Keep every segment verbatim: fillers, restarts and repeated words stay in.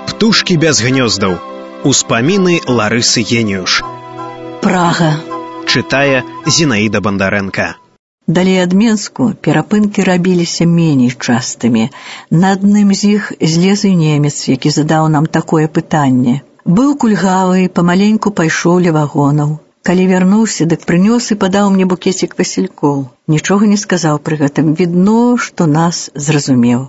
Птушкі без гнёздаў. Успаміны Ларысы Геніюш. Прага. Чытае Зінаіда Бандарэнка. Далей ад Менску перапынкі рабіліся меней частымі. На адным з іх злез і немец, які задаў нам такое пытанне. Быў кульгавы, памаленьку пайшоў ля вагонаў. Калі вярнуўся, дык прынёс і падаў мне букецік васількоў. Нічога не сказаў пры гэтым. Відно, што нас зразумеў.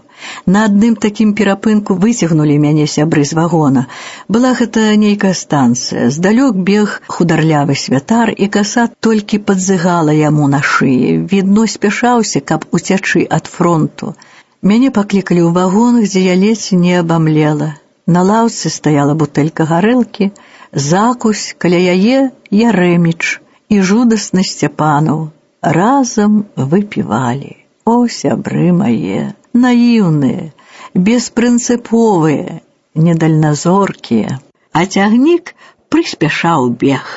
На адным такім перапынку выцягнулі мяне сябры з вагона. Была гэта нейкая станцыя. Здалёк бег хударлявы святар, і каса толькі падзыгала яму на шыі. Відно, спяшаўся, каб уцячы ад фронту. Мяне паклікалі ў вагон, дзе я ледзь не абамлела. На лаўцы стаяла бутэлька гарэлкі, закусь, каля яе Ярэміч і жудасны Сцяпанаў. Разам выпівалі. О, сябры мае, наіўныя, беспрынцыповыя, недальназоркія. А цягнік прыспяшаў бег.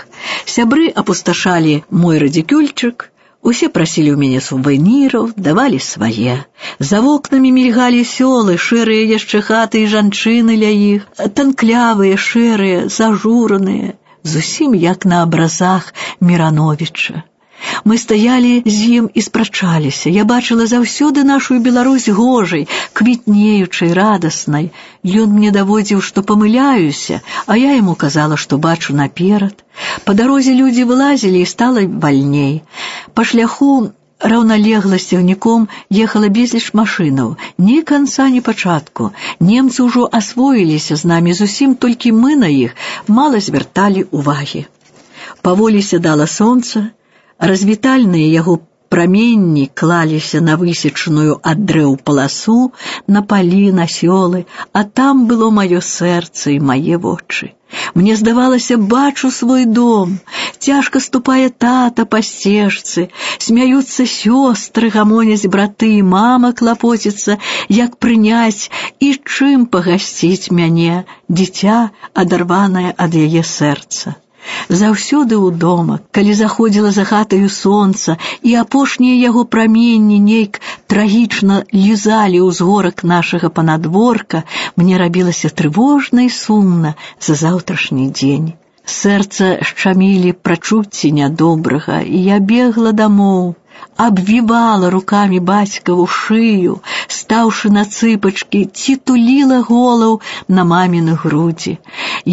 Сябры апусташалі мой радзікюльчык, усе прасілі ў мяне сувеніраў, давалі свае. За вокнамі мільгалі сёлы, шэрыя яшчэ хаты і жанчыны ля іх, танклявыя, шэрыя, зажураныя, зусім як на абразах Мірановіча. Мы стаялі з ім і спрачаліся. Я бачыла заўсёды нашу Беларусь гожай, квітнеючай, радаснай. Ён мне даводзіў, што памыляюся, а я яму казала, што бачу наперад. Па дарозе людзі вылазілі і стала вальней. Па шляху раўналегла з цягніком ехала безліч машынаў. Ні канца, ні пачатку. Немцы ўжо асвоіліся з намі зусім, толькі мы на іх мала звярталі ўвагі. Паволі сядала сонца, развітальныя яго праменні клаліся на высечаную ад дрэў паласу, на палі, на сёлы, а там было маё сэрца і мае вочы. Мне здавалася, бачу свой дом, цяжка ступае тата па сцежцы, смяюцца сёстры, гамоняць браты, і мама клапоціцца, як прыняць і чым пагасціць мяне, дзіця, адарванае ад яе сэрца. Заўсёды ўдома, калі заходзіла за хатаю сонца, і апошнія яго праменні нейк трагічна лізалі ўзгорак нашага панадворка, мне рабілася трывожна і сумна за заўтрашні дзень. Сэрца шчамілі прачуцці нядобрага, і я бегла дамоў, абвівала рукамі бацькаву шыю, стаўшы на цыпачкі, ці туліла голаў на маміны грудзі.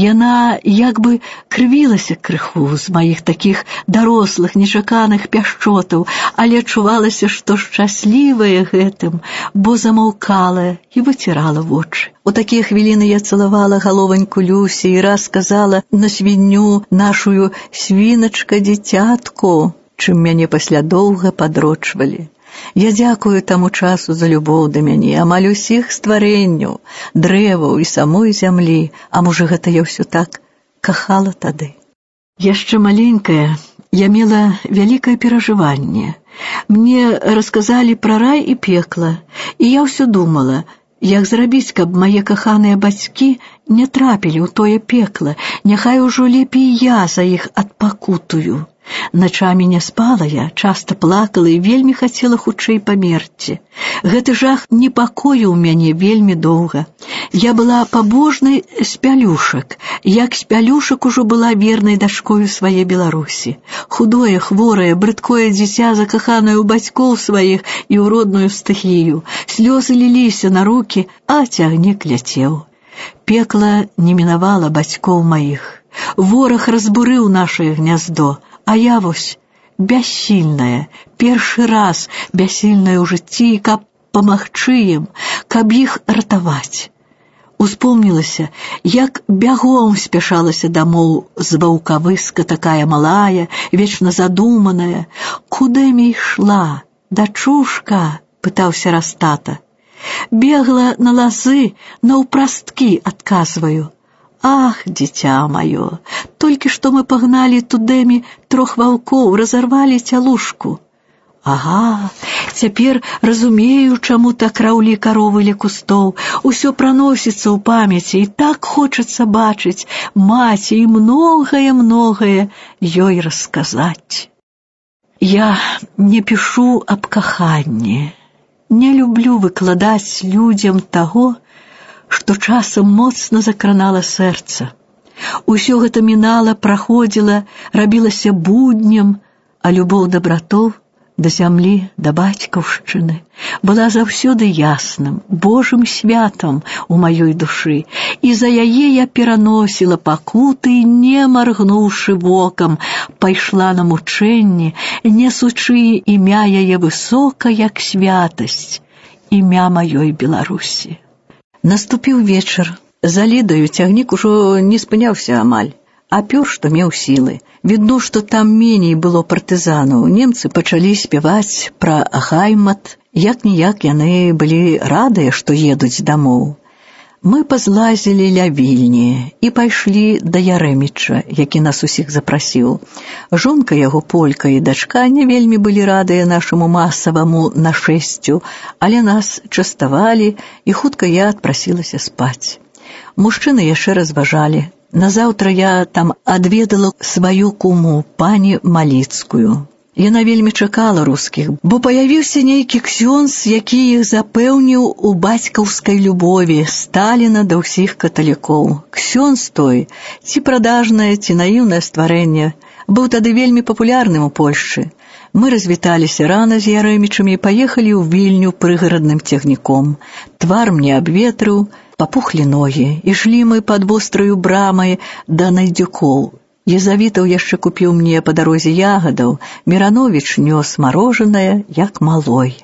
Яна як бы крывілася крыху з маіх такіх дарослых, нечаканых пяшчотаў, але адчувалася, што шчаслівая гэтым, бо замаўкала і выцірала вочы. У такія хвіліны я цалавала галованьку Люсі і раз сказала на свінню нашую: «Свіначка, дзіцятку», чым мяне пасля доўга падрочвалі. Я дзякую таму часу за любоў да мяне, амаль усіх стварэнняў, дрэваў і самой зямлі, а можа гэта я ўсё так кахала тады. Яшчэ маленькая я мела вялікае перажыванне. Мне расказалі пра рай і пекла, і я ўсё думала, як зрабіць, каб мае каханыя бацькі не трапілі ў тое пекла, няхай ужо лепей я за іх адпакутую. Начамі не спала я, часта плакала і вельмі хацела хутчэй памерці. Гэты жах непакоіў мяне вельмі доўга. Я была пабожнай з пялюшак, як з пялюшак ужо была вернай дачкою свае Беларусі. Худое, хворае, брыдкое дзіця, закаханае ў бацькоў сваіх і ў родную стыхію. Слёзы ліліся на рукі, а цягнік ляцеў. Пекла не мінавала бацькоў маіх. Вораг разбурыў нашае гняздо, а я вось бяссільная, першы раз бяссільная ў жыцці, каб памагчы ім, каб іх ратаваць. Успомнілася, як бягом спяшалася дамоў з ваўкавыска, такая малая, вечна задуманая. «Куды ішла, дачушка?» – пытаўся раз тата. «Бегла на лазы, наўпрасткі», – адказваю. «Ах, дзіця маё, толькі што мы пагналі тудэмі трох ваўкоў, разарвалі цялушку». Ага, цяпер разумею, чаму так раўлі каровы ля кустоў. Усё праносіцца ў памяці, і так хочацца бачыць маці і многае-многае ёй расказаць. Я не пішу аб каханні, не люблю выкладаць людзям таго, што часам моцна закранала сэрца. Усё гэта мінала, праходзіла, рабілася буднем, а любоў да братоў, да зямлі, да бацькаўшчыны была заўсёды ясным, Божым святам у маёй душы, і за яе я пераносіла пакуты, не маргнуўшы вокам, пайшла на мучэнні, несучы імя яе высока, як святасць, імя маёй Беларусі. Наступіў вечар. За Лідаю цягнік ужо не спыняўся амаль, а пёр, што меў сілы. Відно, што там меней было партызанаў. Немцы пачалі спяваць пра Гаймат. Як-ніяк яны былі радыя, што едуць дамоў. Мы пазлазілі ля Вільні і пайшлі да Ярэміча, які нас усіх запрасіў. Жонка яго, полька, і дачка не вельмі былі радыя нашаму масаваму нашэсцю, але нас частавалі, і хутка я адпрасілася спаць. Мужчыны яшчэ разважалі. Назаўтра я там адведала сваю куму, пані Маліцкую. Яна вельмі чакала рускіх, бо паявіўся нейкі ксёндз, які іх запэўніў у бацькаўскай любові Сталіна да ўсіх каталікоў. Ксёндз той, ці прадажнае, ці наіўнае стварэнне, быў тады вельмі папулярным у Польшчы. Мы развіталіся рана з Ярэмічамі і паехалі ў Вільню прыгарадным цягніком. Твар мне абветрыў, папухлі ногі. Ішлі мы пад востраю брамай да Найдзюкоў. Езавітаў яшчэ купіў мне па дарозе ягадаў, Мірановіч нёс марожанае, як малой.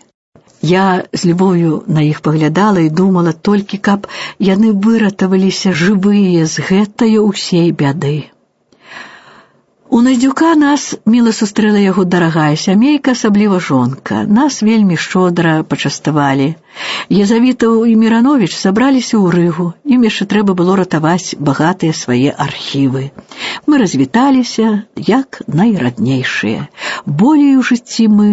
Я з любов'ю на іх паглядала і думала толькі, каб яны выратаваліся жывыя з гэтае ўсей бяды. У Найдзюка нас міла сустрэла яго дарагая сямейка, асабліва жонка. Нас вельмі шчодра пачаставалі. Езавітаў і Мірановіч сабраліся ў Рыгу. Ім яшчэ трэба было ратаваць багатыя свае архівы. Мы развіталіся, як найраднейшыя. Болей у жыцці мы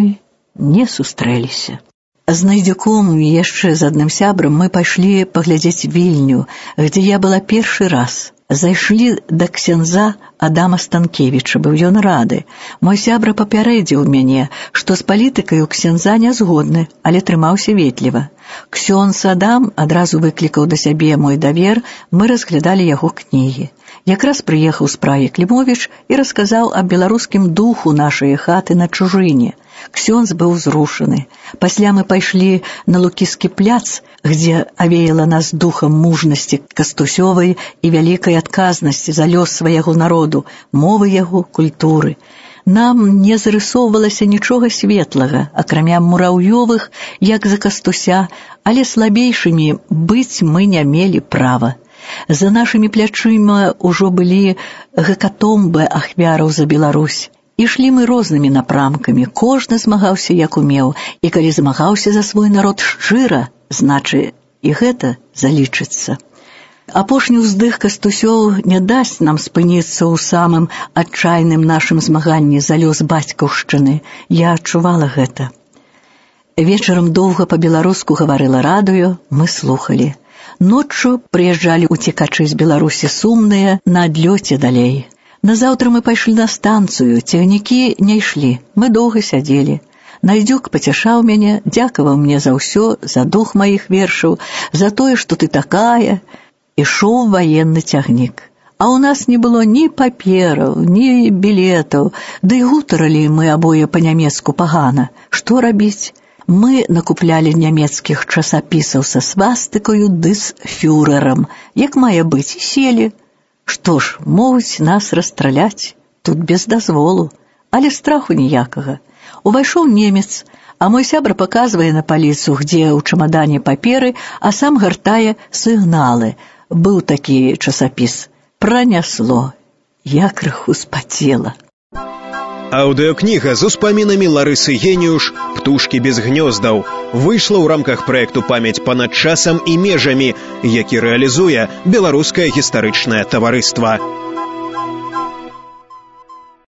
не сустрэліся. З Найдзюком і яшчэ з адным сябрам мы пайшлі паглядзець Вільню, дзе я была першы раз. Зайшлі да ксяндза Адама Станкевіча, быў ён рады. Мой сябра папярэдзіў мяне, што з палітыкай у ксяндза не згодны, але трымаўся ветліва. Ксёндз Адам адразу выклікаў да сябе мой давер, мы разглядалі яго кнігі. Якраз прыехаў з Прагі Клімовіч і расказаў аб беларускім духу нашай хаты на чужыне. Ксёндз быў зрушаны. Пасля мы пайшлі на Лукіскі пляц, где авеяла нас духом мужнасці Кастусёвай і вялікай адказнасці за лёс свайго народу, мовы яго, культуры. Нам не зарысоўвалася нічога светлага, акрамя мураўёвых, як за Кастуся, але слабейшымі быць мы не мелі права. За нашымі плячыма ўжо былі гекатомбы ахвяраў за Беларусь. Ішлі мы рознымі напрамкамі, кожны змагаўся як умеў, і калі змагаўся за свой народ шчыра, значы і гэта залічыцца. Апошні ўздых Кастусёў не дасць нам спыніцца ў самым адчайным нашым змаганні за лёс бацькаўшчыны. Я адчувала гэта. Вечарам доўга па-беларуску гаварыла радыё, мы слухалі. Ноччу прыязджалі уцекачы з Беларусі сумныя на адлёце далей. Назаўтра мы пайшлі на станцыю, цягнікі не ішлі, мы доўга сядзелі. Найдзюк пацяшаў мяне, дзякаваў мне за ўсё, за дух маіх вершаў, за тое, што ты такая. Ішоў ваенны цягнік. А ў нас не было ні папераў, ні білетаў, ды і гутаралі мы абое па-нямецку пагана. Што рабіць? Мы накуплялі нямецкіх часапісаў са свастыкаю ды з фюрэрам. Як мае быць, селі. Што ж, могуць нас расстраляць, тут без дазволу, але страху ніякага. Увайшоў немец, а мой сябра паказвае на паліцу, где ў чамадане паперы, а сам гартае сігналы. Быў такі часапіс. Пранясло. Я крыху спацела. Аўдыокніга з успамінамі Ларысы Геніюш «Птушкі без гнёздаў» выйшла ў рамках праекту «Памяць панад часам і межамі», які рэалізуе Беларускае гістарычнае таварыства.